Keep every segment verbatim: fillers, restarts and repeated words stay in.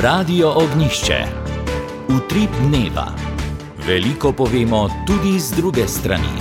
Radio Ognjišče. Utrip dneva. Veliko povemo tudi z druge strani.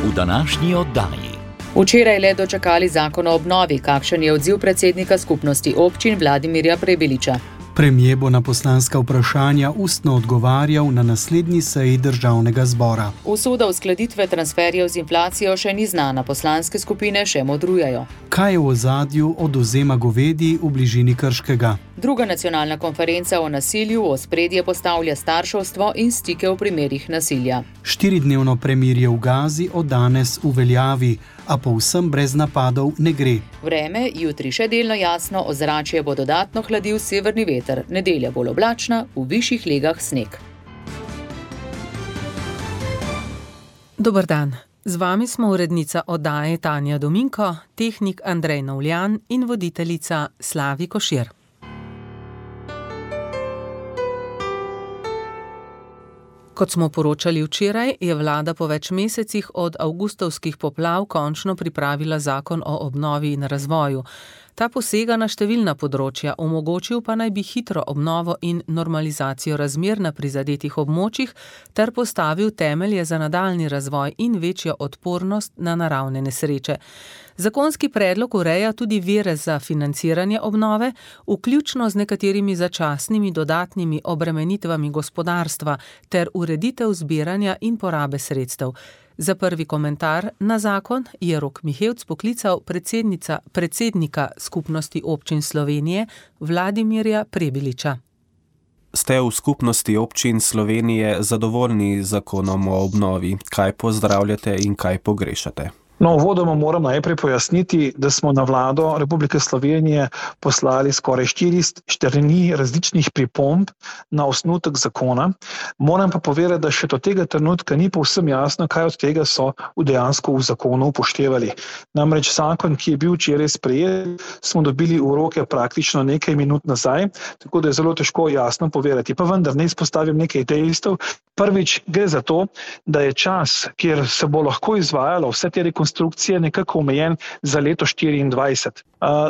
V današnji oddaji. Včeraj le dočakali zakon o obnovi, kakšen je odziv predsednika skupnosti občin Vladimirja Prebiliča. Premier bo na poslanska vprašanja ustno odgovarjal na naslednji seji državnega zbora. Usoda uskladitve transferjev z inflacijo še ni znana, poslanske skupine še modrujejo. Kaj je v ozadju odvzema govedi v bližini Krškega? Druga nacionalna konferenca o nasilju v ospredje postavlja starševstvo in stike v primerih nasilja. Štiridnevno premirje v Gazi od danes v veljavi, a povsem brez napadov ne gre. Vreme, jutri še delno jasno, ozračje bo dodatno hladil severni veter, nedelja bolj oblačna, v višjih legah sneg. Dober dan. Z vami smo urednica oddaje Tanja Dominko, tehnik Andrej Novljan in voditeljica Slavi Košir. Kot smo poročali včeraj, je vlada po več mesecih od avgustovskih poplav končno pripravila zakon o obnovi in razvoju. Ta posega na številna področja, omogočil pa naj bi hitro obnovo in normalizacijo razmer na prizadetih območjih ter postavil temelje za nadaljnji razvoj in večjo odpornost na naravne nesreče. Zakonski predlog ureja tudi vire za financiranje obnove, vključno z nekaterimi začasnimi dodatnimi obremenitvami gospodarstva ter ureditev zbiranja in porabe sredstev. Za prvi komentar na zakon je Rok Mihevc poklical predsednica, predsednika Skupnosti občin Slovenije Vladimirja Prebiliča. Ste v Skupnosti občin Slovenije zadovoljni z zakonom o obnovi? Kaj pozdravljate in kaj pogrešate? No, uvodoma moram najprej pojasniti, da smo na vlado Republike Slovenije poslali skoraj štiri strani različnih pripomb na osnutek zakona. Moram pa povedati, da še do tega trenutka ni povsem jasno, kaj od tega so dejansko v zakonu upoštevali. Namreč zakon, ki je bil včeraj sprejet, smo dobili v roke praktično nekaj minut nazaj, tako da je zelo težko jasno povedati. Pa vendar ne izpostavim nekaj dejstev. Prvič gre za to, da je čas, kjer se bo lahko izvajalo vse te rekonstrukcije, nekako omejen za leto štiriindvajset.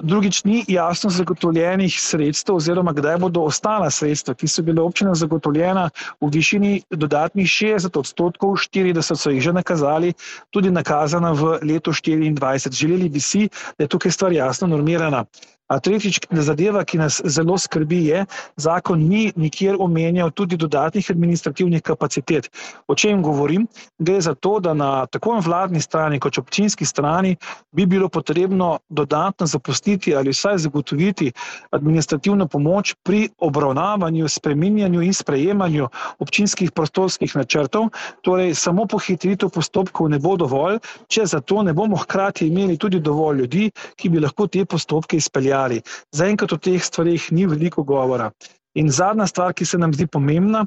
Drugič, ni jasno zagotovljenih sredstev oziroma kdaj bodo ostala sredstva, ki so bile občinam zagotovljena v višini dodatnih šestdeset odstotkov, štirideset so jih že nakazali, tudi nakazana v leto štiriindvajset. Želeli bi si, da je tukaj stvar jasno normirana. A tretjič, zadeva, ki nas zelo skrbi, je, zakon ni nikjer omenjal tudi dodatnih administrativnih kapacitet. O čem govorim? Gre za to, da na tako vladni strani kot občinski strani bi bilo potrebno dodatno zapustiti ali vsaj zagotoviti administrativno pomoč pri obravnavanju, spreminjanju in sprejemanju občinskih prostorskih načrtov. Torej, samo pohitritev postopkov ne bo dovolj, če za to ne bomo hkrati imeli tudi dovolj ljudi, ki bi lahko te postopke izpeljali. Zaenkrat o teh stvarih ni veliko govora. In zadnja stvar, ki se nam zdi pomembna,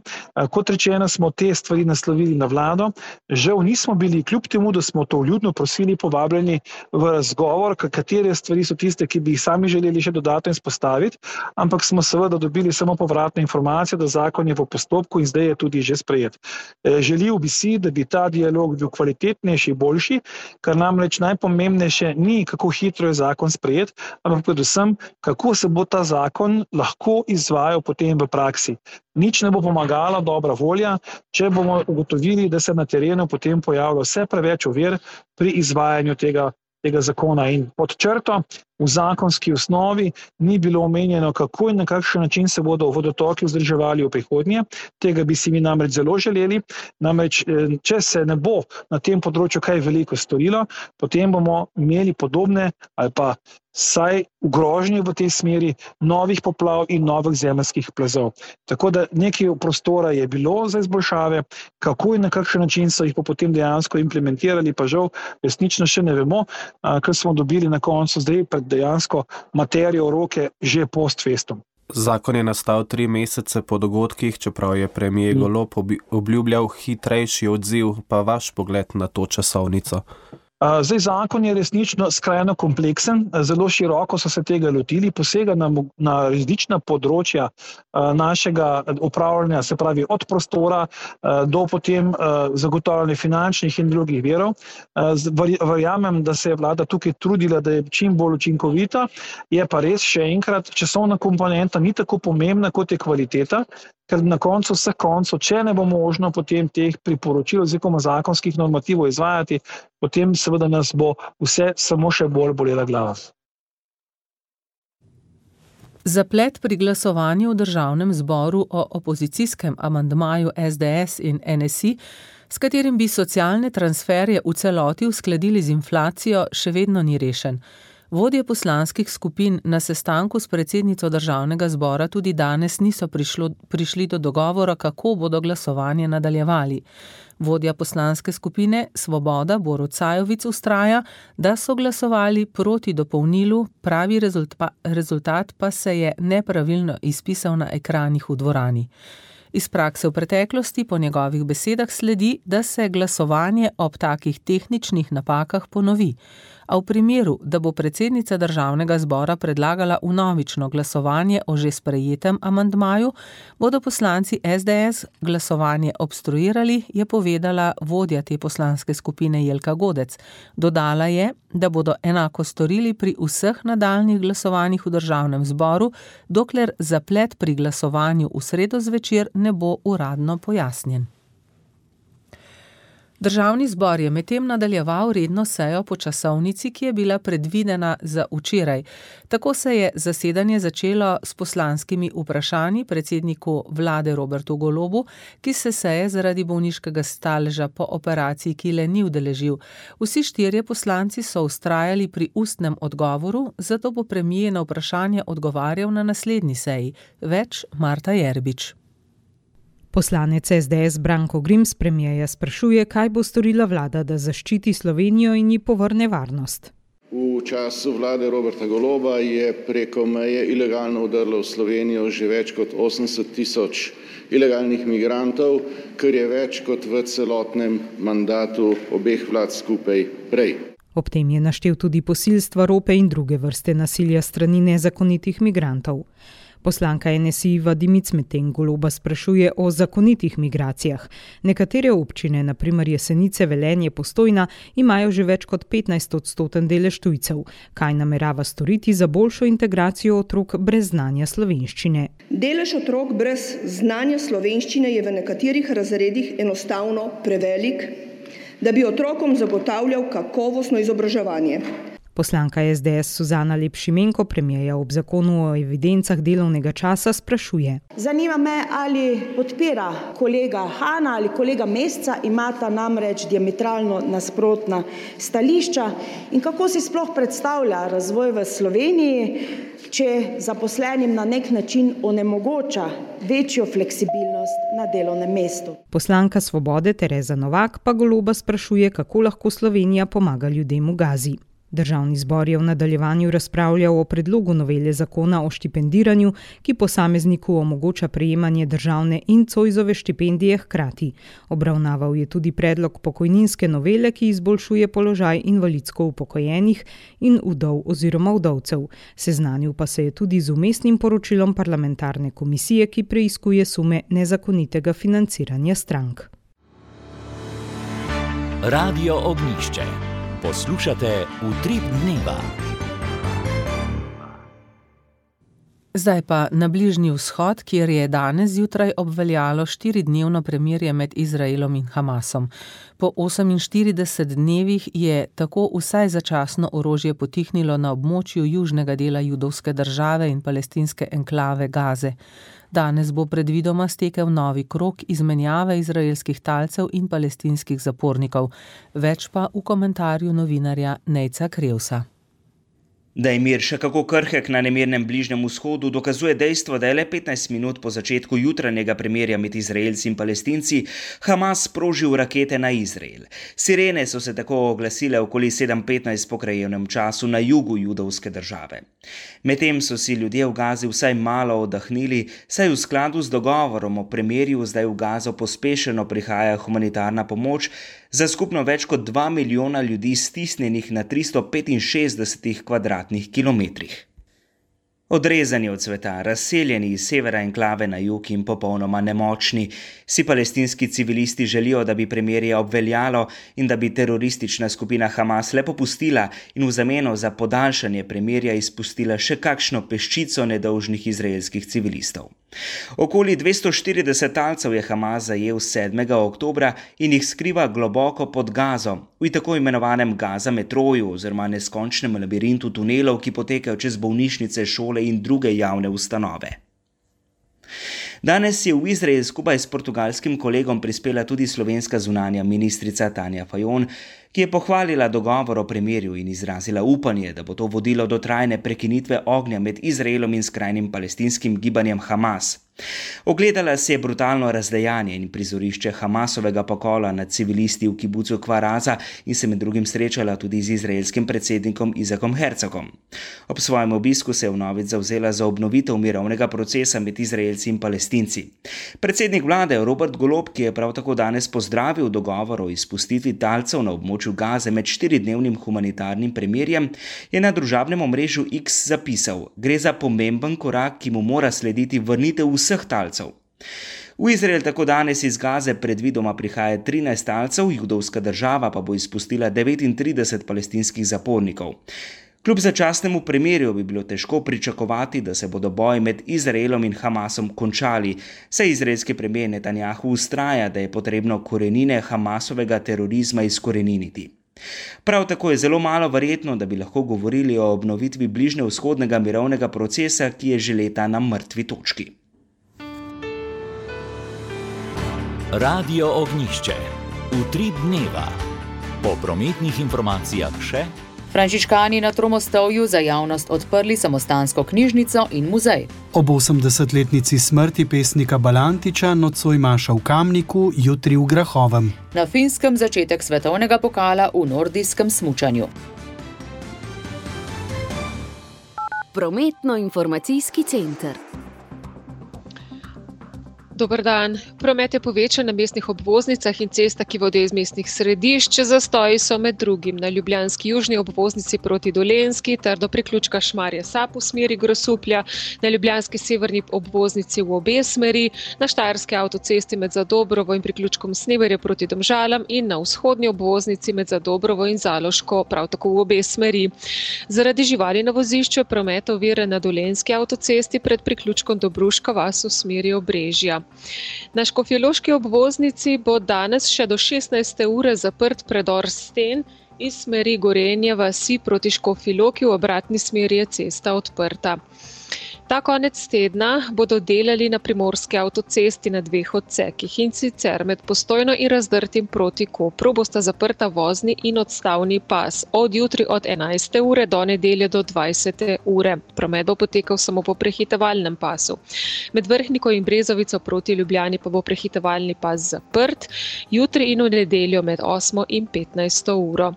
kot rečeno, smo te stvari naslovili na vlado. Žal nismo bili, kljub temu, da smo to vljudno prosili, povabljeni v razgovor, katere stvari so tiste, ki bi jih sami želeli še dodatno izpostaviti, ampak smo seveda dobili samo povratno informacijo, da zakon je v postopku in zdaj je tudi že sprejet. Želel bi si, da bi ta dialog bil kvalitetnejši, boljši, kar namreč najpomembnejše ni, kako hitro je zakon sprejet, ampak predvsem, kako se bo ta zakon lahko izvajal potem v praksi. Nič ne bo pomagala dobra volja, če bomo ugotovili, da se na terenu potem pojavlja vse preveč ovir pri izvajanju tega, tega zakona. In pod črto v zakonski osnovi ni bilo omenjeno, kako in na kakšen način se bodo vodotoki vzdrževali v prihodnje. Tega bi si mi namreč zelo želeli. Namreč, če se ne bo na tem področju kaj veliko storilo, potem bomo imeli podobne ali pa saj v grožnji v tej smeri novih poplav in novih zemeljskih plazov. Tako da nekaj prostora je bilo za izboljšave, kako in na kakšen način so jih pa potem dejansko implementirali, pa žal resnično še ne vemo, ker smo dobili na koncu zdaj pred dejansko materijo v roke že post festum. Zakon je nastal tri mesece po dogodkih, čeprav je premier Golob obljubljal hitrejši odziv, pa vaš pogled na to časovnico? Zdaj, zakon je resnično skrajno kompleksen, zelo široko so se tega lotili, posega na, na različna področja našega upravljanja, se pravi od prostora do potem zagotavljanja finančnih in drugih virov. Verjamem, da se je vlada tukaj trudila, da je čim bolj učinkovita, je pa res še enkrat, časovna komponenta ni tako pomembna kot je kvaliteta, ker na koncu vseh koncev, če ne bo možno potem teh priporočil oziroma zakonskih normativov izvajati, potem seveda nas bo vse samo še bolj bolela glava. Zaplet pri glasovanju v državnem zboru o opozicijskem amandmaju es de es in en es i, s katerim bi socialne transferje v celoti uskladili z inflacijo, še vedno ni rešen. Vodje poslanskih skupin na sestanku s predsednico državnega zbora tudi danes niso prišlo, prišli do dogovora, kako bodo glasovanje nadaljevali. Vodja poslanske skupine Svoboda Borut Sajovic vztraja, da so glasovali proti dopolnilu, pravi rezultat, rezultat pa se je nepravilno izpisal na ekranih v dvorani. Iz prakse v preteklosti po njegovih besedah sledi, da se glasovanje ob takih tehničnih napakah ponovi. A v primeru, da bo predsednica državnega zbora predlagala vnovično glasovanje o že sprejetem amandmaju, bodo poslanci es de es glasovanje obstruirali, je povedala vodja te poslanske skupine Jelka Godec. Dodala je, da bodo enako storili pri vseh nadaljnjih glasovanjih v državnem zboru, dokler zaplet pri glasovanju v sredo zvečer ne bo uradno pojasnjen. Državni zbor je medtem nadaljeval redno sejo po časovnici, ki je bila predvidena za včeraj. Tako se je zasedanje začelo s poslanskimi vprašanji predsedniku vlade Robertu Golobu, ki se seje zaradi bolniškega staleža po operaciji kile ni udeležil. Vsi štirje poslanci so vztrajali pri ustnem odgovoru, zato bo premier na vprašanje odgovarjal na naslednji seji. Več Marta Jerbič. Poslanec es de es Branko Grims premierja sprašuje, kaj bo storila vlada, da zaščiti Slovenijo in ji povrne varnost. V času vlade Roberta Goloba je preko meje ilegalno vdrlo v Slovenijo že več kot osemdeset tisoč ilegalnih migrantov, kar je več kot v celotnem mandatu obeh vlad skupaj prej. Ob tem je naštel tudi posilstva, rope in druge vrste nasilja strani nezakonitih migrantov. Poslanka en es i Iva Dimic medtem Goloba sprašuje o zakonitih migracijah. Nekatere občine, na primer Jesenice, Velenje, Postojna, imajo že več kot petnajst odstoten delež tujcev. Kaj namerava storiti za boljšo integracijo otrok brez znanja slovenščine? Delež otrok brez znanja slovenščine je v nekaterih razredih enostavno prevelik, da bi otrokom zagotavljal kakovostno izobraževanje. Poslanka es de es Suzana Lep Šimenko premierja ob zakonu o evidencah delovnega časa sprašuje. Zanima me, ali podpira kolega Hana ali kolega Mesca, imata namreč diametralno nasprotna stališča in kako si sploh predstavlja razvoj v Sloveniji, če zaposlenim na nek način onemogoča večjo fleksibilnost na delovnem mestu. Poslanka Svobode Tereza Novak pa Goloba sprašuje, kako lahko Slovenija pomaga ljudem v Gazi. Državni zbor je v nadaljevanju razpravljal o predlogu novele zakona o štipendiranju, ki posamezniku omogoča prejemanje državne in Zoisove štipendije hkrati. Obravnaval je tudi predlog pokojninske novele, ki izboljšuje položaj invalidsko upokojenih in vdov oziroma vdovcev. Seznanil pa se je tudi z vmesnim poročilom parlamentarne komisije, ki preiskuje sume nezakonitega financiranja strank. Radio Ognjišče. Poslušate Utrip dneva. Zdaj pa na Bližnji vzhod, kjer je danes zjutraj obveljalo štiridnevno premirje med Izraelom in Hamasom. Po oseminštiridesetih dnevih je tako vsaj začasno orožje potihnilo na območju južnega dela judovske države in palestinske enklave Gaze. Danes bo predvidoma stekel novi krog izmenjave izraelskih talcev in palestinskih zapornikov. Več pa v komentarju novinarja Nejca Krevsa. Da je mir še kako krhek na nemirnem Bližnjem vzhodu, dokazuje dejstvo, da je le petnajst minut po začetku jutranjega premirja med Izraelci in Palestinci Hamas sprožil rakete na Izrael. Sirene so se tako oglasile okoli sedem petnajst po krajevnem času na jugu judovske države. Medtem so si ljudje v Gazi vsaj malo oddahnili, saj v skladu z dogovorom o premirju zdaj v Gazo pospešeno prihaja humanitarna pomoč, za skupno več kot dva milijona ljudi stisnjenih na tristo petinšestdesetih kvadratnih kilometrih. Odrezani od sveta, razseljeni iz severa enklave na jug in popolnoma nemočni, si palestinski civilisti želijo, da bi premirje obveljalo in da bi teroristična skupina Hamas le popustila in v zameno za podaljšanje premirja izpustila še kakšno peščico nedolžnih izraelskih civilistov. Okoli dvesto štirideset talcev je Hamas zajel sedmega oktobra in jih skriva globoko pod Gazo, v tako imenovanem Gaza metroju oziroma neskončnem labirintu tunelov, ki potekajo čez bolnišnice, šole in druge javne ustanove. Danes je v Izrael skupaj s portugalskim kolegom prispela tudi slovenska zunanja ministrica Tanja Fajon, ki je pohvalila dogovor o premirju in izrazila upanje, da bo to vodilo do trajne prekinitve ognja med Izraelom in skrajnim palestinskim gibanjem Hamas. Ogledala se je brutalno razdejanje in prizorišče Hamasovega pokola nad civilisti v kibucu Kfar Aza in se med drugim srečala tudi z izraelskim predsednikom Isakom Herzogom. Ob svojem obisku se je vnovič zavzela za obnovitev mirovnega procesa med Izraelci in Palestinci. Predsednik vlade Robert Golob, ki je prav tako danes pozdravil dogovor o izpustitvi talcev na območju Gaze med štiridnevnim humanitarnim premirjem, je na družabnem omrežju X zapisal: "Gre za pomemben korak, ki mu mora slediti vrnitev vseh talcev." V Izrael tako danes iz Gaze predvidoma prihaja trinajst talcev, judovska država pa bo izpustila devetintrideset palestinskih zapornikov. Kljub začasnemu premirju bi bilo težko pričakovati, da se bodo boji med Izraelom in Hamasom končali, saj izraelski premijer Netanjahu vztraja, da je potrebno korenine Hamasovega terorizma izkoreniniti. Prav tako je zelo malo verjetno, da bi lahko govorili o obnovitvi bližnjevzhodnega mirovnega procesa, ki je že leta na mrtvi točki. Radio Ognjišče. Utrip dneva. Po prometnih informacijah še: Frančiškani na Tromostovju za javnost odprli samostansko knjižnico in muzej. Ob osemdesetletnici smrti pesnika Balantiča nocoj maša v Kamniku, jutri v Grahovem. Na Finskem začetek svetovnega pokala v nordijskem smučanju. Prometno-informacijski center. Dober dan. Promet je povečan na mestnih obvoznicah in cestah, ki vodijo iz mestnih središč. Zastoji so med drugim na ljubljanski južni obvoznici proti Dolenjski ter do priključka Šmarje Sap v smeri Grosuplja, na ljubljanski severni obvoznici v obe smeri, na štajerski avtocesti med Zadobrovo in priključkom Sneverje proti Domžalam in na vzhodni obvoznici med Zadobrovo in Zaloško, prav tako v obe smeri. Zaradi živali na vozišču je promet oviran na Dolenjski avtocesti pred priključkom Dobruška vas v smeri Obrežja. Na škofjeloški obvoznici bo danes še do šestnajste ure zaprt predor Sten iz smeri Gorenje vasi proti Škofji Loki, v obratni smeri je cesta odprta. Ta konec tedna bodo delali na primorski avtocesti na dveh odsekih, in sicer med Postojno in Razdrtim proti Kopru bosta zaprta vozni in odstavni pas od jutri od enajste ure do nedelje do dvajsete ure. Promet bo potekal samo po prehitevalnem pasu. Med Vrhniko in Brezovico proti Ljubljani pa bo prehitevalni pas zaprt, jutri in v nedeljo med osmo in petnajsto uro.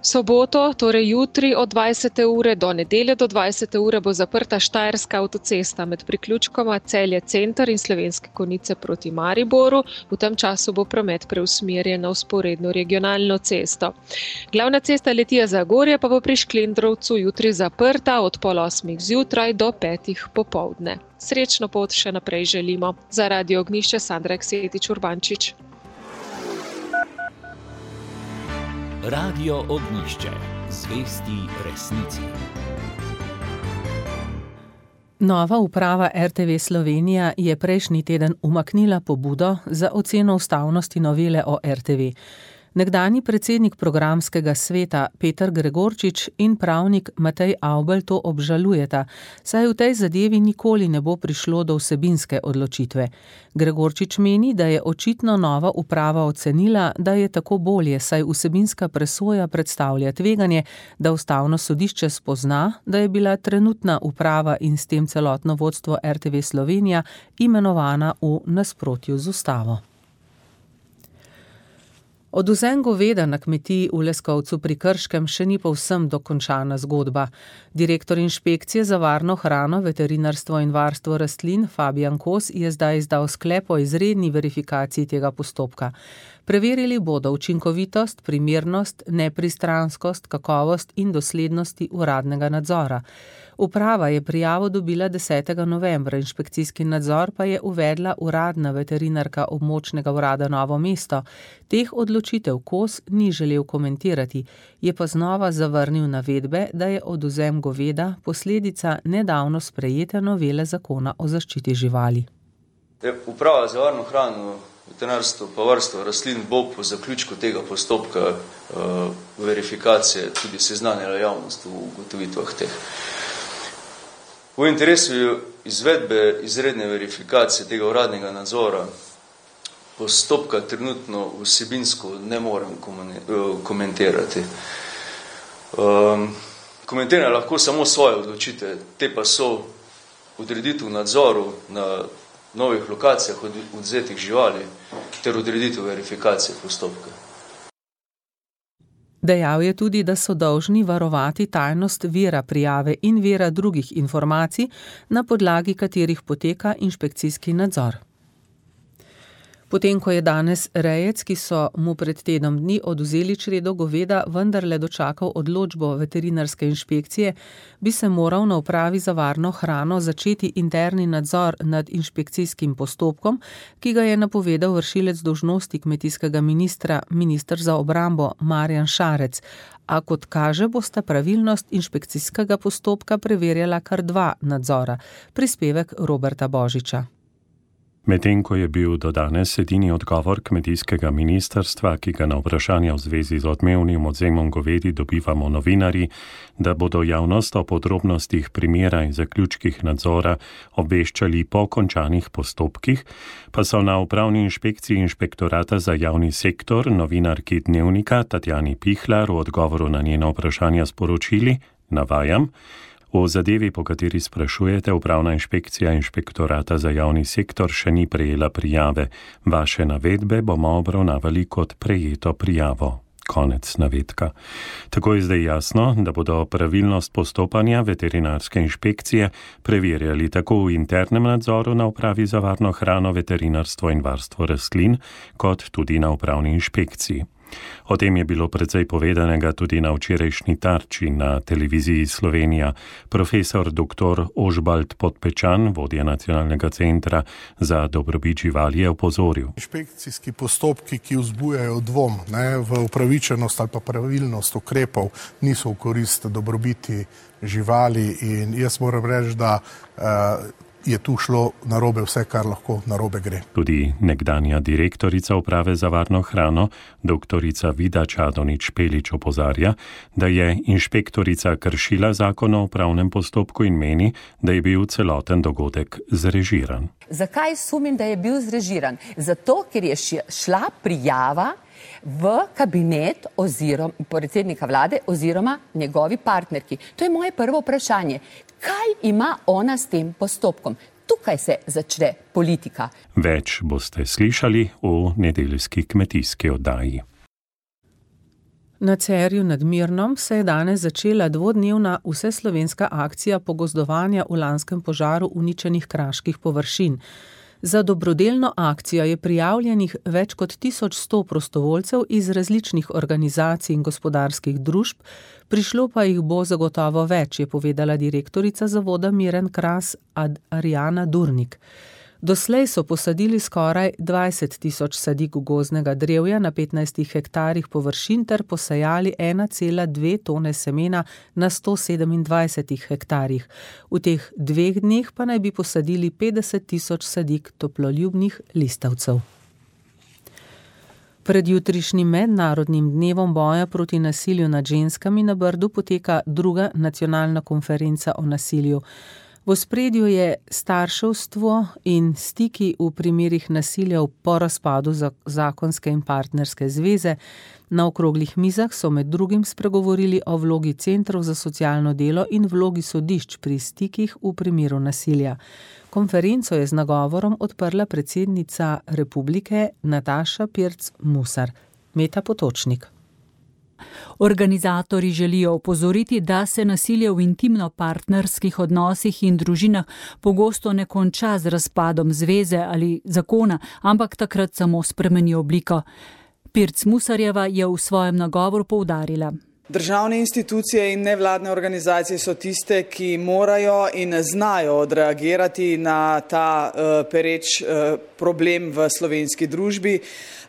Soboto, torej jutri od dvajsete ure do nedelje do dvajsete ure bo zaprta štajerska avtocesta med priključkoma Celje Center in Slovenske Konjice proti Mariboru. V tem času bo promet preusmerjen na vzporedno regionalno cesto. Glavna cesta Litija-Zagorje pa bo pri Šklendrovcu jutri zaprta od pol osmih zjutraj do petih popoldne. Srečno pot še naprej želimo. Za Radio Ognjišče Sandra Eksetič Urbančič. Radio Ognjišče. Zvesti resnici. Nova uprava R T V Slovenija je prejšnji teden umaknila pobudo za oceno ustavnosti novele o R T V. Nekdanji predsednik programskega sveta Peter Gregorčič in pravnik Matej Avbelj to obžalujeta, saj v tej zadevi nikoli ne bo prišlo do vsebinske odločitve. Gregorčič meni, da je očitno nova uprava ocenila, da je tako bolje, saj vsebinska presoja predstavlja tveganje, da ustavno sodišče spozna, da je bila trenutna uprava in s tem celotno vodstvo R T V Slovenija imenovana v nasprotju z ustavo. Odvzem goveda na kmetiji v Leskovcu pri Krškem še ni povsem dokončana zgodba. Direktor inšpekcije za varno hrano, veterinarstvo in varstvo rastlin Fabijan Kos je zdaj izdal sklep o izredni verifikaciji tega postopka. Preverili bodo učinkovitost, primernost, nepristranskost, kakovost in doslednosti uradnega nadzora. Uprava je prijavo dobila desetega novembra, inšpekcijski nadzor pa je uvedla uradna veterinarka območnega urada Novo mesto. Teh odločitev Kos ni želel komentirati, je pa znova zavrnil navedbe, da je odvzem goveda posledica nedavno sprejete novele zakona o zaščiti živali. Uprava za varno hrano, veterinarstvo pa varstvo rastlin bo po zaključku tega postopka uh, verifikacije tudi seznanila javnost v ugotovitvah teh. V interesu izvedbe izredne verifikacije tega uradnega nadzora postopka trenutno vsebinsko ne morem komentirati. Um, komentiram lahko samo svoje odločitve, te pa so odreditev nadzoru na novih lokacijah odvzetih živali ter odreditev verifikacije postopka. Dejal je tudi, da so dolžni varovati tajnost vira prijave in vira drugih informacij, na podlagi katerih poteka inšpekcijski nadzor. Potem, ko je danes rejec, ki so mu pred tednom dni odvzeli čredo goveda, vendarle dočakal odločbo veterinarske inšpekcije, bi se moral na upravi za varno hrano začeti interni nadzor nad inšpekcijskim postopkom, ki ga je napovedal vršilec dolžnosti kmetijskega ministra, minister za obrambo Marjan Šarec. A kot kaže, bosta pravilnost inšpekcijskega postopka preverjala kar dva nadzora. Prispevek Roberta Božiča. Medtem ko je bil do danes edini odgovor kmetijskega ministrstva, ki ga na vprašanja v zvezi z odmevnim odvzemom govedi dobivamo novinarji, da bodo javnost o podrobnostih primera in zaključkih nadzora obveščali po končanih postopkih, pa so na upravni inšpekciji Inšpektorata za javni sektor novinarki Dnevnika Tatjani Pihlar v odgovoru na njeno vprašanja sporočili, navajam, v zadevi, po kateri sprašujete, upravna inšpekcija Inšpektorata za javni sektor še ni prejela prijave. Vaše navedbe bomo obravnavali kot prejeto prijavo. Konec navedka. Tako je zdaj jasno, da bodo pravilnost postopanja veterinarske inšpekcije preverjali tako v internem nadzoru na upravi za varno hrano, veterinarstvo in varstvo rastlin, kot tudi na upravni inšpekciji. O tem je bilo precej povedanega tudi na včerajšnji Tarči na televiziji Slovenija. Profesor doktor Ožbalt Podpečan, vodja Nacionalnega centra za dobrobit živali, je opozoril. Inšpekcijski postopki, ki vzbujajo dvom ne, v upravičenost ali pa pravilnost ukrepov, niso v korist dobrobiti živali in jaz moram reči, da uh, je tu šlo narobe vse, kar lahko narobe gre. Tudi nekdanja direktorica uprave za varno hrano, doktorica Vida Čadonič-Pelič opozarja, da je inšpektorica kršila zakon o upravnem postopku in meni, da je bil celoten dogodek zrežiran. Zakaj sumim, da je bil zrežiran? Zato, ker je šla prijava v kabinet oziroma predsednika vlade oziroma njegovi partnerki. To je moje prvo vprašanje. Kaj ima ona s tem postopkom? Tukaj se začne politika. Več boste slišali v nedeljski kmetijski oddaji. Na Cerju nad Mirnom se je danes začela dvodnevna vseslovenska akcija pogozdovanja v lanskem požaru uničenih kraških površin. Za dobrodelno akcijo je prijavljenih več kot tisoč sto prostovoljcev iz različnih organizacij in gospodarskih družb, prišlo pa jih bo zagotovo več, je povedala direktorica zavoda Miren Kras Arjana Durnik. Doslej so posadili skoraj dvajset tisoč sadik gozdnega drevja na petnajstih hektarjih površin ter posejali ena cela dve tone semena na sto sedemindvajsetih hektarjih. V teh dveh dneh pa naj bi posadili petdeset tisoč sadik toploljubnih listavcev. Pred jutrišnjim mednarodnim dnevom boja proti nasilju nad ženskami na Brdu poteka druga nacionalna konferenca o nasilju. V ospredju je starševstvo in stiki v primerih nasilja po razpadu zakonske in partnerske zveze. Na okroglih mizah so med drugim spregovorili o vlogi centrov za socialno delo in vlogi sodišč pri stikih v primeru nasilja. Konferenco je z nagovorom odprla predsednica republike Nataša Pirc Musar. Meta Potočnik. Organizatorji želijo opozoriti, da se nasilje v intimno-partnerskih odnosih in družinah pogosto ne konča z razpadom zveze ali zakona, ampak takrat samo spremeni obliko. Pirc Musarjeva je v svojem nagovoru poudarila. Državne institucije in nevladne organizacije so tiste, ki morajo in znajo odreagirati na ta uh, pereč uh, problem v slovenski družbi,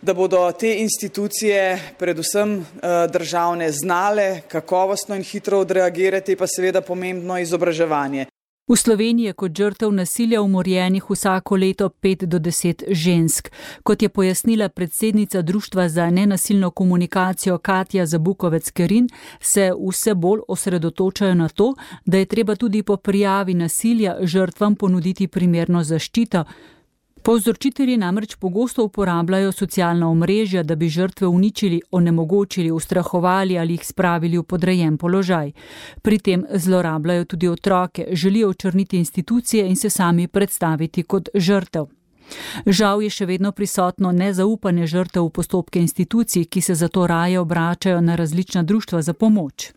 da bodo te institucije, predvsem uh, državne, znale kakovostno in hitro odreagirati, pa seveda pomembno izobraževanje. V Sloveniji je kot žrtev nasilja umorjenih vsako leto pet do deset žensk. Kot je pojasnila predsednica Društva za nenasilno komunikacijo Katja Zabukovec-Kerin, se vse bolj osredotočajo na to, da je treba tudi po prijavi nasilja žrtvam ponuditi primerno zaščito. Povzročitelji namreč pogosto uporabljajo socialna omrežja, da bi žrtve uničili, onemogočili, ustrahovali ali jih spravili v podrejen položaj. Pri tem zlorabljajo tudi otroke, želijo očrniti institucije in se sami predstaviti kot žrtev. Žal je še vedno prisotno nezaupanje žrtev v postopke institucij, ki se zato raje obračajo na različna društva za pomoč.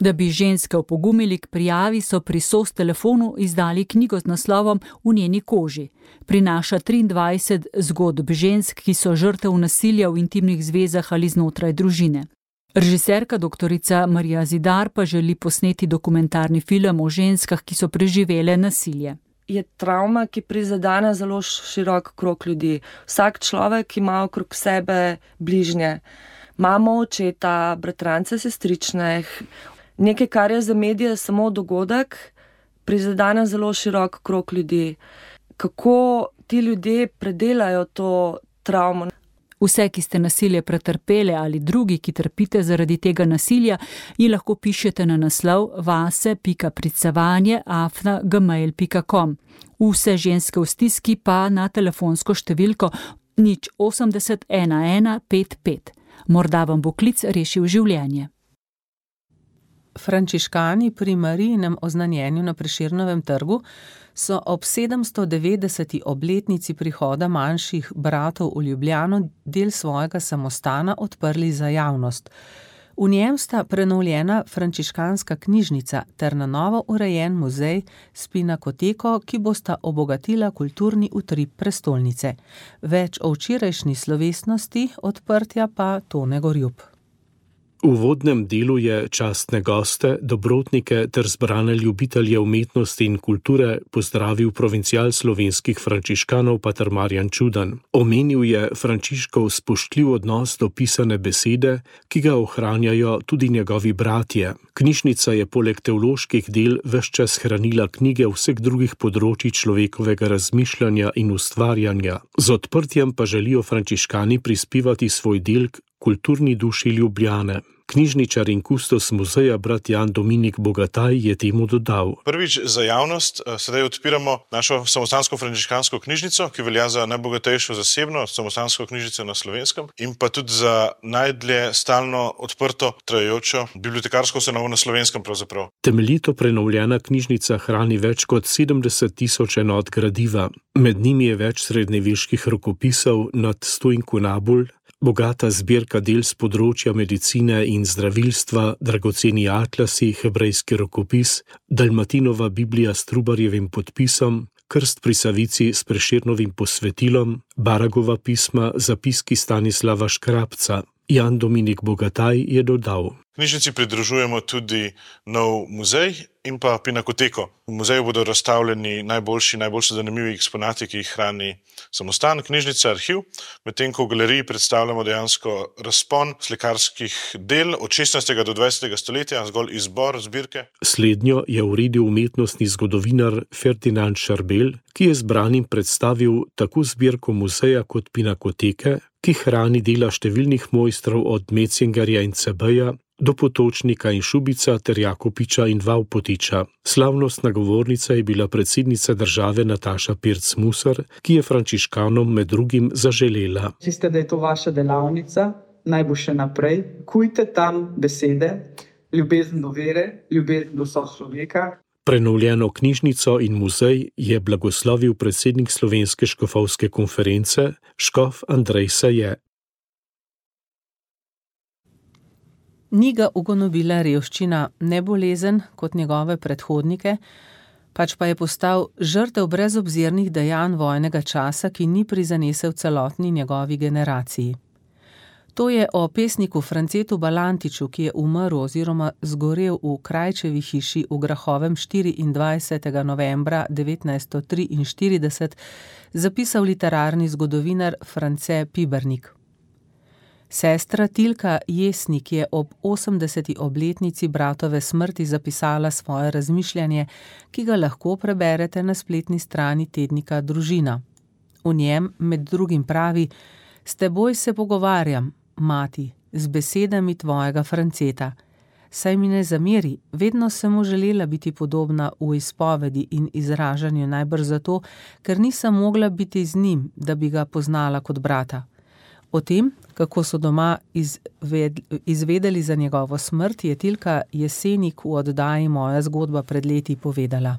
Da bi ženske opogumili k prijavi, so pri S O S telefonu izdali knjigo z naslovom V njeni koži. Prinaša triindvajset zgodb žensk, ki so žrtev nasilja v intimnih zvezah ali znotraj družine. Režiserka doktorica Marija Zidar pa želi posneti dokumentarni film o ženskah, ki so preživele nasilje. Je travma, ki prizadene zelo širok krog ljudi. Vsak človek ima okrog sebe bližnje. Mamo, očeta, bratrance, sestrične. Nekaj, kar je za medije samo dogodek, prizadene zelo širok krog ljudi. Kako ti ljudje predelajo to travmo? Vse, ki ste nasilje pretrpele ali drugi, ki trpite zaradi tega nasilja, ji lahko pišete na naslov vase pika pricevanje afna gmail pika com. Vse ženske v stiski pa na telefonsko številko nič osemdeset ena ena pet pet. Morda vam bo klic rešil življenje. Frančiškani pri Marijinem oznanjenju na Prešernovem trgu so ob sedemsto devetdeseti obletnici prihoda manjših bratov v Ljubljano del svojega samostana odprli za javnost. V njem sta prenovljena frančiškanska knjižnica ter na novo urejen muzej s pinakoteko, ki bosta obogatila kulturni utrip prestolnice. Več o včerajšnji slovesnosti odprtja pa Tone Gorjup. V uvodnem delu je častne goste, dobrotnike ter zbrane ljubitelje umetnosti in kulture pozdravil provincial slovenskih frančiškanov pater Marjan Čudan. Omenil je Frančiškov spoštljiv odnos do pisane besede, ki ga ohranjajo tudi njegovi bratje. Knjižnica je poleg teoloških del ves čas hranila knjige vseh drugih področij človekovega razmišljanja in ustvarjanja. Z odprtjem pa želijo frančiškani prispevati svoj del k kulturni duši Ljubljane. Knjižničar in kustos muzeja brat Jan Dominik Bogataj je temu dodal. Prvič za javnost sedaj odpiramo našo samostansko frančiškansko knjižnico, ki velja za najbogatejšo zasebno samostansko knjižnico na Slovenskem in pa tudi za najdlje stalno odprto trajajočo bibliotekarsko ustanovo na Slovenskem pravzaprav. Temeljito prenovljena knjižnica hrani več kot sedemdeset tisoč enot gradiva. Med njimi je več srednjeveških rokopisov nad sto inkunabul, bogata zbirka del z področja medicine in zdravilstva, dragoceni atlasi, hebrejski rokopis, Dalmatinova Biblija s Trubarjevim podpisom, krst pri Savici s Prešernovim posvetilom, Baragova pisma, zapiski Stanislava Škrabca. Jan Dominik Bogataj je dodal. Knjižnici pridružujemo tudi nov muzej in pa pinakoteko. V muzeju bodo razstavljeni najboljši, najboljši zanimivi eksponati, ki jih hrani samostan, knjižnica, arhiv, medtem ko v galeriji predstavljamo dejansko razpon slikarskih del od šestnajstega do dvajsetega stoletja, zgolj izbor zbirke. Slednjo je uredil umetnostni zgodovinar Ferdinand Šarbel, ki je zbranim predstavil tako zbirko muzeja kot pinakoteke, ki hrani dela številnih mojstrov od Metzingerja in Cebeja do Potočnika in Šubica ter Jakopiča in Vavpotiča. Slavnostna govornica je bila predsednica države Nataša Pirc Musar, ki je frančiškanom med drugim zaželela. Veste, da je to vaša delavnica, naj bo še naprej. Kujte tam besede, ljubezen do vere, ljubezen do sočloveka. Prenovljeno knjižnico in muzej je blagoslovil predsednik Slovenske škofovske konference, škof Andrej Saje. Ni ga ugonobila revščina, ne bolezen kot njegove predhodnike, pač pa je postal žrtev brezobzirnih dejanj vojnega časa, ki ni prizanesel celotni njegovi generaciji. To je o pesniku Francetu Balantiču, ki je umrl oziroma zgorel v Krajčevi hiši v Grahovem štiriindvajsetega novembra devetnajststo triinštirideset, zapisal literarni zgodovinar France Pibernik. Sestra Tilka Jesnik je ob osemdeseti obletnici bratove smrti zapisala svoje razmišljanje, ki ga lahko preberete na spletni strani tednika Družina. V njem med drugim pravi: "S teboj se pogovarjam, mati, z besedami tvojega Franceta. Saj mi ne zameri, vedno sem mu želela biti podobna v izpovedi in izražanju, najbrž zato, ker nisem mogla biti z njim, da bi ga poznala kot brata." O tem, kako so doma izved, izvedeli za njegovo smrt, je Tilka Jesenik v oddaji Moja zgodba pred leti povedala.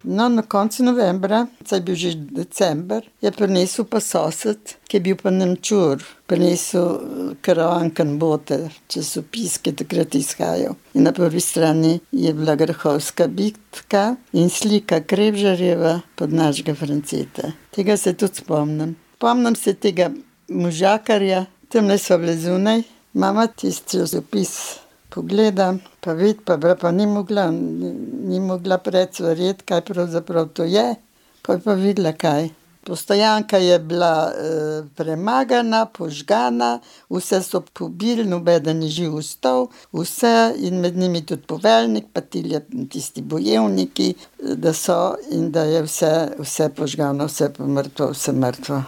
No, na koncu novembra, saj je bil že december, je prinesel pa sosed, ki je bil pa Nemčur, prinesel Karavankan bote, časopis, ki takrat izhajal. In na prvi strani je bila Grahovska bitka in slika Krebžarjeva pod našega Franceta. Tega se tudi spomnim. Spomnim se tega možakarja, tamle sva bile zunaj, mama tisti časopis pogledam, pa vid, pa bra, pa ni mogla, ni, ni mogla predsvarjeti, kaj pravzaprav to je, pa je pa videla kaj. Postojanka je bila e, premagana, požgana, vse so pobili, nobeden ni živ ostal, vse in med njimi tudi poveljnik, pa tilja, tisti bojevniki, da so in da je vse, vse požgano, vse pomrtvo, vse mrtvo.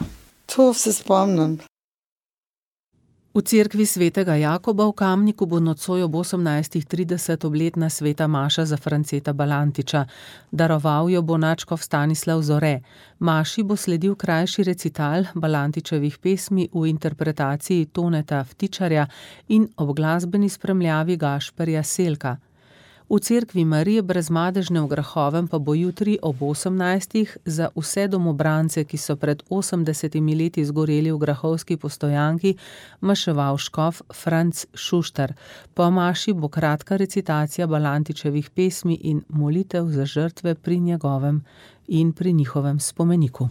To se spomnim. V cerkvi svetega Jakoba v Kamniku bo nocoj ob osemnajstih trideset obletna sveta maša za Franceta Balantiča. Daroval jo bo nadškof Stanislav Zore. Maši bo sledil krajši recital Balantičevih pesmi v interpretaciji Toneta Vtičarja in ob glasbeni spremljavi Gašperja Selka. V cerkvi Marije Brezmadežne v Grahovem pa bo jutri ob osemnajstih za vse domobrance, ki so pred osemdesetimi leti zgoreli v grahovski postojanki, maševal škof Franc Šuštar. Po maši bo kratka recitacija Balantičevih pesmi in molitev za žrtve pri njegovem in pri njihovem spomeniku.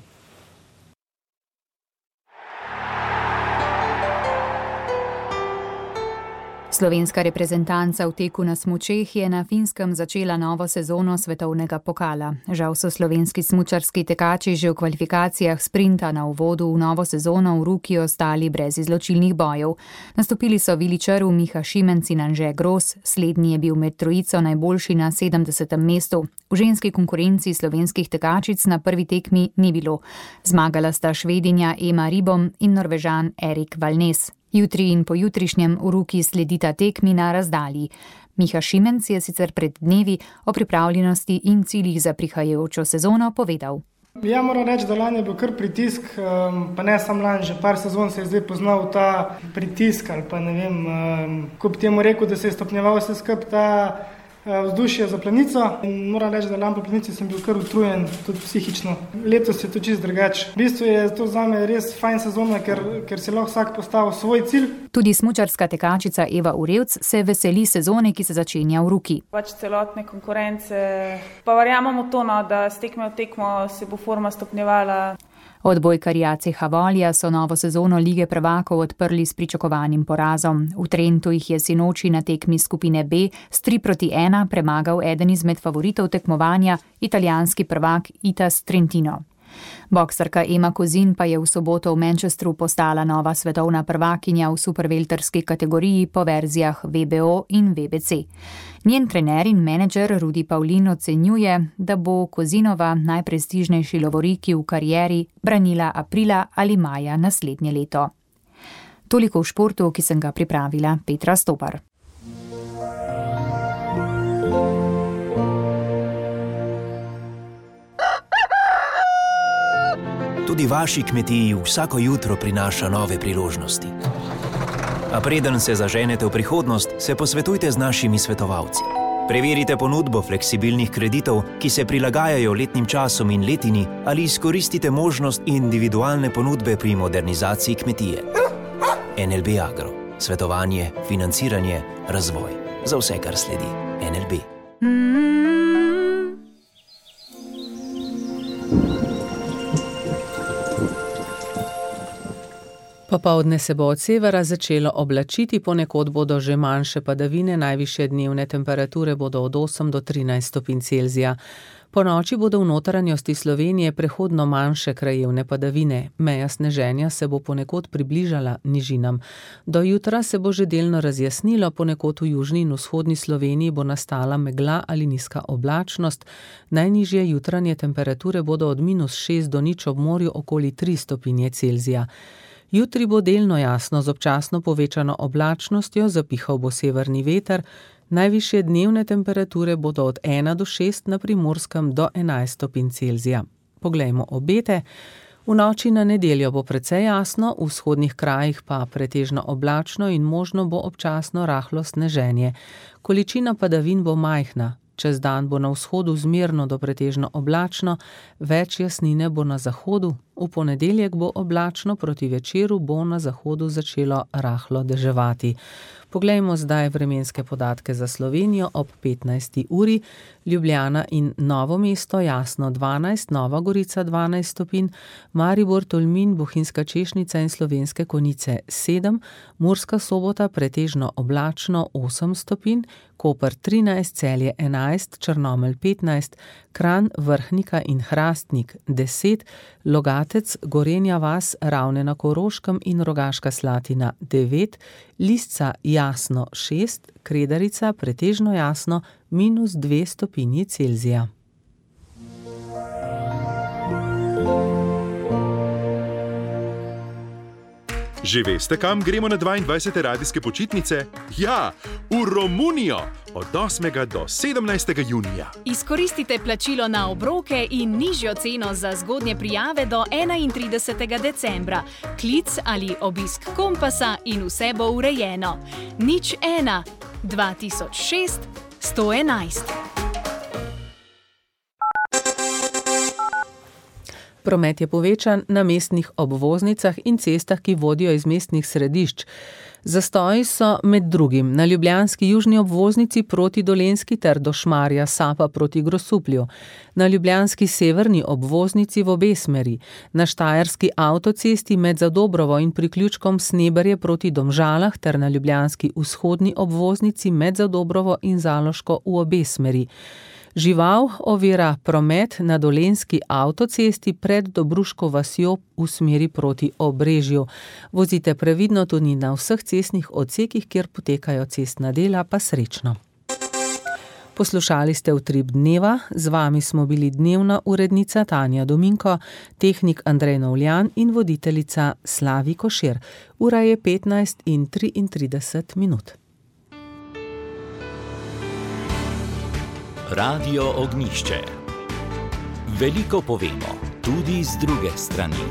Slovenska reprezentanca v teku na smučeh je na Finskem začela novo sezono svetovnega pokala. Žal so slovenski smučarski tekači že v kvalifikacijah sprinta na uvodu v novo sezono v Ruki ostali brez izločilnih bojev. Nastopili so Vili Črv, Miha Šimenc in Anže Gros, slednji je bil med trojico najboljši na sedemdesetem mestu. V ženski konkurenci slovenskih tekačic na prvi tekmi ni bilo. Zmagala sta Švedinja Ema Ribom in Norvežan Erik Valnes. Jutri in pojutrišnjem v Ruki sledita tekmi na razdalji. Miha Šimenc je sicer pred dnevi o pripravljenosti in ciljih za prihajajočo sezono povedal. Ja, moram reči, da lani je bil kar pritisk, pa ne sam lani, že par sezon se je zdaj poznal ta pritisk ali pa ne vem, ko bi temu rekel, da se je stopnjeval vse skup ta vzdušje za planico. In moram reči, da lani po planici sem bil kar utrujen, tudi psihično. Letos je to čisto drugače. V bistvu je to zame res fajn sezona, ker, ker si lahko vsak postavil svoj cilj. Tudi smučarska tekačica Eva Urevc se veseli sezone, ki se začenja v Ruki. Pač celotne konkurence, pa verjamemo to, no, da s tekme v tekmo se bo forma stopnjevala. Odbojkarji C H Volja so novo sezono Lige prvakov odprli s pričakovanim porazom. V Trentu jih je sinoči na tekmi skupine B s tri proti ena premagal eden izmed favoritov tekmovanja, italijanski prvak Itas Trentino. Boksarka Ema Kozin pa je v soboto v Manchesteru postala nova svetovna prvakinja v supervelterski kategoriji po verzijah V B O in V B C. Njen trener in menedžer Rudi Pavlin ocenjuje, da bo Kozinova najprestižnejši lovoriki v karieri branila aprila ali maja naslednje leto. Toliko v športu, ki sem ga pripravila Petra Stopar. Tudi vaši kmetiji vsako jutro prinaša nove priložnosti. A preden se zaženete v prihodnost, se posvetujte z našimi svetovalci. Preverite ponudbo fleksibilnih kreditov, ki se prilagajajo letnim časom in letini, ali izkoristite možnost individualne ponudbe pri modernizaciji kmetije. N L B Agro. svetovanje, financiranje, razvoj. Za vse, kar sledi. N L B. Popoldne se bo od severa začelo oblačiti, ponekod bodo že manjše padavine, najvišje dnevne temperature bodo od osem do trinajst stopinj Celzija. Po noči bodo v notranjosti Slovenije prehodno manjše krajevne padavine. Meja sneženja se bo ponekod približala nižinam. Do jutra se bo že delno razjasnilo, ponekod v južni in vzhodni Sloveniji bo nastala megla ali nizka oblačnost. Najnižje jutranje temperature bodo od minus šest do nič ob morju okoli tri stopinje Celzija. Jutri bo delno jasno z občasno povečano oblačnostjo, zapihal bo severni veter. Najvišje dnevne temperature bodo od ena do šest, na Primorskem do enajst stopinj Celzija. Poglejmo obete. V noči na nedeljo bo precej jasno, v vzhodnih krajih pa pretežno oblačno in možno bo občasno rahlo sneženje. Količina padavin bo majhna. Čez dan bo na vzhodu zmerno do pretežno oblačno, več jasnine bo na zahodu. V ponedeljek bo oblačno, proti večeru bo na zahodu začelo rahlo deževati. Poglejmo zdaj vremenske podatke za Slovenijo ob petnajsti uri. Ljubljana in Novo mesto jasno dvanajst, Nova Gorica dvanajst stopinj, Maribor, Tolmin, Bohinjska Češnica in Slovenske Konjice sedem, Murska Sobota pretežno oblačno osem stopinj, Koper trinajst, Celje enajst, Črnomelj petnajst, Kranj, Vrhnika in Hrastnik deset, Logatec, Gorenja vas, Ravne na Koroškem in Rogaška Slatina devet, Lisca jasno šest, Kredarica pretežno jasno minus dve stopinji Celzija. Že veste, kam gremo na dvaindvajsete radijske počitnice? Ja, v Romunijo! Od osmega do sedemnajstega junija. Izkoristite plačilo na obroke in nižjo ceno za zgodnje prijave do enaintridesetega decembra. Klic ali obisk Kompasa in vse bo urejeno. Nič ena, dva tisoč šest, sto enajst. Promet je povečan na mestnih obvoznicah in cestah, ki vodijo iz mestnih središč. Zastoji so med drugim na ljubljanski južni obvoznici proti Dolenjski ter do Šmarja Sapa proti Grosuplju, na ljubljanski severni obvoznici v obe smeri, na štajerski avtocesti med Zadobrovo in priključkom Sneberje proti Domžalah ter na ljubljanski vzhodni obvoznici med Zadobrovo in Zaloško v obe smeri. Žival ovira promet na Dolenjski avtocesti pred Dobruško vasjo v smeri proti Obrežju. Vozite previdno tudi na vseh cestnih odsekih, kjer potekajo cestna dela, pa srečno. Poslušali ste Utrip dneva, z vami smo bili dnevna urednica Tanja Dominko, tehnik Andrej Novljan in voditeljica Slavi Košir. Ura je petnajst in triintrideset minut. Radio Ognjišče. Veliko povemo, tudi z druge strani.